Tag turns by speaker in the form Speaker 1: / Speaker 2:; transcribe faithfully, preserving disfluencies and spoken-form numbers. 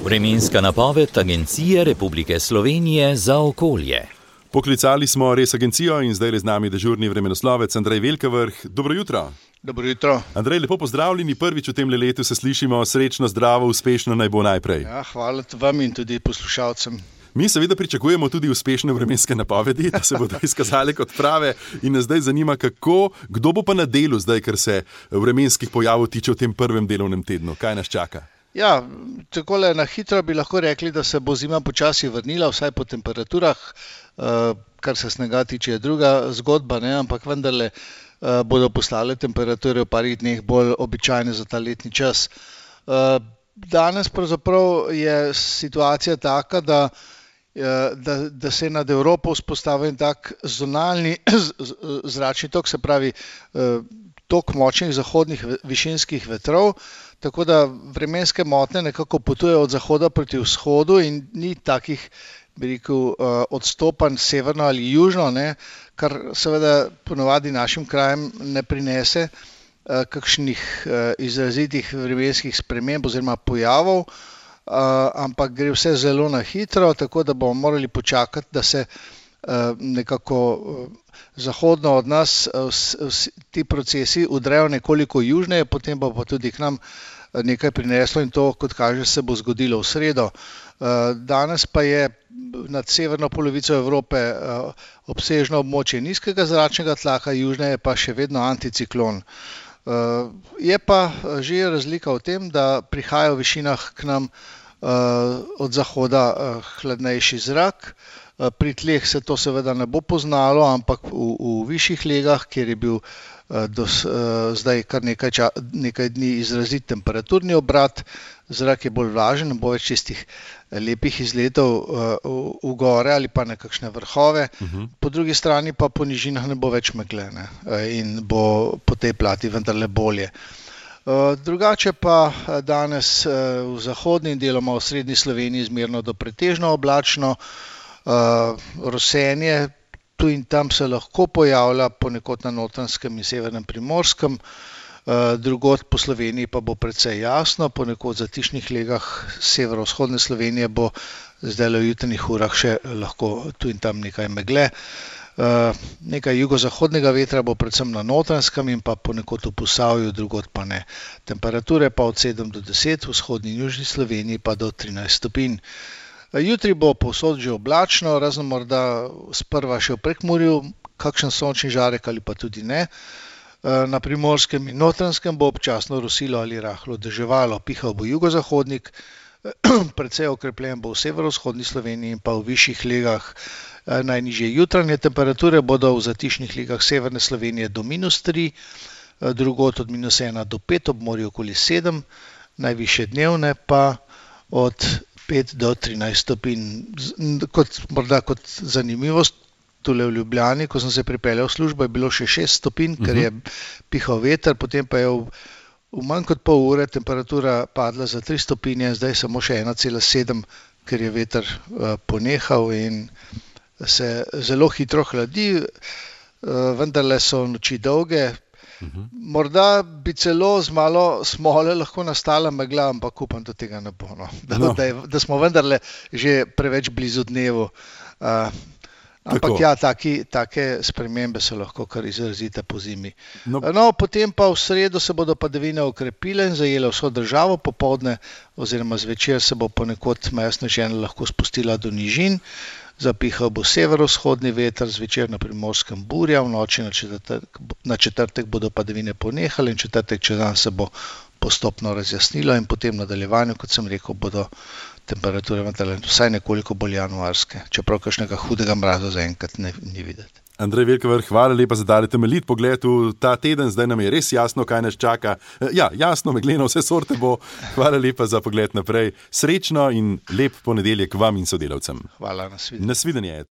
Speaker 1: Vremenska napoved Agencije Republike Slovenije za okolje.
Speaker 2: Poklicali smo res agencijo in zdaj je z nami dežurni vremenoslovec Andrej Velkavrh. Dobro jutro.
Speaker 3: Dobro jutro.
Speaker 2: Andrej, lepo pozdravljeni, prvič v tem letu se slišimo, srečno, zdravo, uspešno naj bo najprej.
Speaker 3: Ja, hvala vam in tudi poslušalcem.
Speaker 2: Mi seveda pričakujemo tudi uspešne vremenske napovedi, da se bodo izkazali kot prave in nas zdaj zanima, kako, kdo bo pa na delu zdaj, ker se vremenskih pojavov tiče v tem prvem delovnem tednu. Kaj nas čaka?
Speaker 3: Ja, takole na hitro bi lahko rekli, da se bo zima počasi vrnila, vsaj po temperaturah, kar se snega tiče je druga zgodba, ne? Ampak vendarle bodo postale temperature v parih dneh bolj običajne za ta letni čas. Danes pravzaprav je situacija taka, da Da, da se je nad Evropo vzpostavil tak zonalni zračni tok, se pravi tok močnih zahodnih višinskih vetrov, tako da vremenske motnje nekako potujejo od zahoda proti vzhodu in ni takih, bi rekel, odstopanj severno ali južno, ne, kar seveda ponovadi našim krajem ne prinese kakšnih izrazitih vremenskih sprememb oziroma pojavov. Uh, ampak gre vse zelo na hitro, tako da bomo morali počakati, da se uh, nekako uh, zahodno od nas uh, s, s, ti procesi udrejo nekoliko južneje, potem bo pa tudi k nam uh, nekaj prineslo in to, kot kaže, se bo zgodilo v sredo. Uh, danes pa je nad severno polovico Evrope uh, obsežno območje nizkega zračnega tlaka, južneje pa še vedno anticiklon. Uh, je pa že razlika v tem, da prihaja v višinah k nam uh, od zahoda uh, hladnejši zrak. Uh, pri tleh se to seveda ne bo poznalo, ampak v, v višjih legah, kjer je bil uh, dos, uh, zdaj kar nekaj, ča, nekaj dni izrazit temperaturni obrat, zrak je bolj vlažen, ne bo več tistih lepih izletov uh, v, v gore ali pa na kakšne vrhove. Uh-huh. Po drugi strani pa po nižinah ne bo več megle, ne, in bo po tej plati vendarle bolje. Uh, drugače pa danes uh, v zahodni in deloma v srednji Sloveniji zmerno do pretežno oblačno, uh, rosenje tu in tam se lahko pojavlja ponekod na Notranjskem in severnem Primorskem. Drugod po Sloveniji pa bo precej jasno, ponekod v zatišnih legah severovzhodne Slovenije bo zdaj v jutranjih urah še lahko tu in tam nekaj megle. Nekaj jugozahodnega vetra bo predvsem na Notranjskem in pa ponekod v Posavju, drugod pa ne. Temperature pa od sedem do deset, v vzhodni in južni Sloveniji pa do trinajst stopinj. Jutri bo povsod že oblačno, razen morda sprva še v Prekmurju, kakšen sončni žarek ali pa tudi ne. Na Primorskem in Notranjskem bo občasno rosilo ali rahlo deževalo, pihal bo jugozahodnik, precej okrepljen bo v severovzhodni Sloveniji in pa v višjih legah. Najnižje jutranje temperature bodo v zatišnih legah severne Slovenije do minus tri, drugod od minus ena do pet, ob morju okoli sedem, najvišje dnevne pa od pet do trinajst stopinj. Kot, morda kot zanimivost, tule v Ljubljani, ko sem se pripeljal v službo, je bilo še šest stopinj, ker je pihal veter, potem pa je v, v manj kot pol ure temperatura padla za tri stopinje, zdaj samo še ena cela sedem, ker je veter uh, ponehal in se zelo hitro hladi, uh, vendarle so noči dolge. Uh-huh. Morda bi celo z malo smole lahko nastala megla, ampak upam, da tega ne bo. No. Da, no. Da, je, da smo vendarle že preveč blizu dnevu. Uh, Ampak ja, taki, take spremembe so lahko kar izrazite po zimi. No. No, potem pa v sredo se bodo padavine okrepile in zajele vso državo, popoldne oziroma zvečer se bo ponekod meja sneženja lahko spustila do nižin, zapihal bo severovzhodni veter, zvečer na Primorskem burja, v noči na četrtek, na četrtek bodo padavine ponehale in četrtek čez dan se bo postopno razjasnilo in potem v nadaljevanju, kot sem rekel, bodo temperature vsaj nekoliko bolj januarske, čeprav kakšnega hudega mraza zaenkrat ne, ni videti.
Speaker 2: Andrej Velkavrh, hvala lepa za dali temeljit pogled v ta teden, zdaj nam je res jasno, kaj nas čaka. Ja, jasno, megleno, vse sorte bo. Hvala lepa za pogled naprej. Srečno in lep ponedeljek vam in sodelavcem.
Speaker 3: Hvala, nasvidenje.
Speaker 2: Nasvidenje.